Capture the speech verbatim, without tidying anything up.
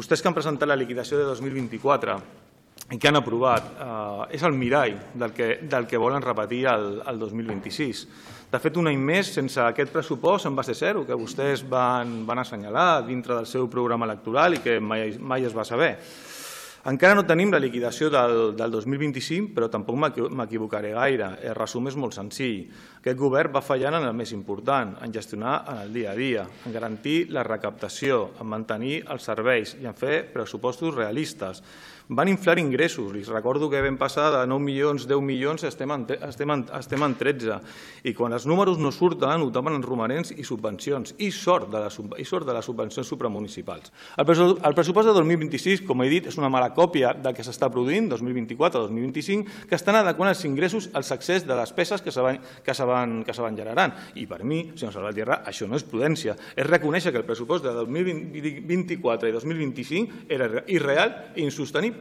Vostès que han presentat la liquidació de dos mil vint-i-quatre i que han aprovat eh, és el mirall del que, del que volen repetir el, el dos mil vint-i-sis. De fet, un any més, sense aquest pressupost en base zero, que vostès van, van assenyalar dintre del seu programa electoral i que mai, mai es va saber. Encara no tenim la liquidació del, del dos mil vint-i-cinc, però tampoc m'equivocaré gaire. El resum és molt senzill. Aquest govern va fallant en el més important, en gestionar en el dia a dia, en garantir la recaptació, en mantenir els serveis i en fer pressupostos realistes. Van inflar ingressos. Li recordo que vam passar de nou milions, deu milions, estem en, estem en, estem en tretze. I quan els números no surten, ho tapen en romanents i subvencions. I sort de les, i sort de les subvencions supramunicipals. El pressupost de dos mil vint-i-sis, com he dit, és una mala còpia del que s'està produint, dos mil vint-i-quatre dos mil vint-i-cinc, que estan adequant els ingressos als excés de despeses que se van, que se van, que se van generant. I per mi, senyor Salvatierra, això no és prudència. És reconèixer que el pressupost de dos mil vint-i-quatre i dos mil vint-i-cinc era irreal i insostenible.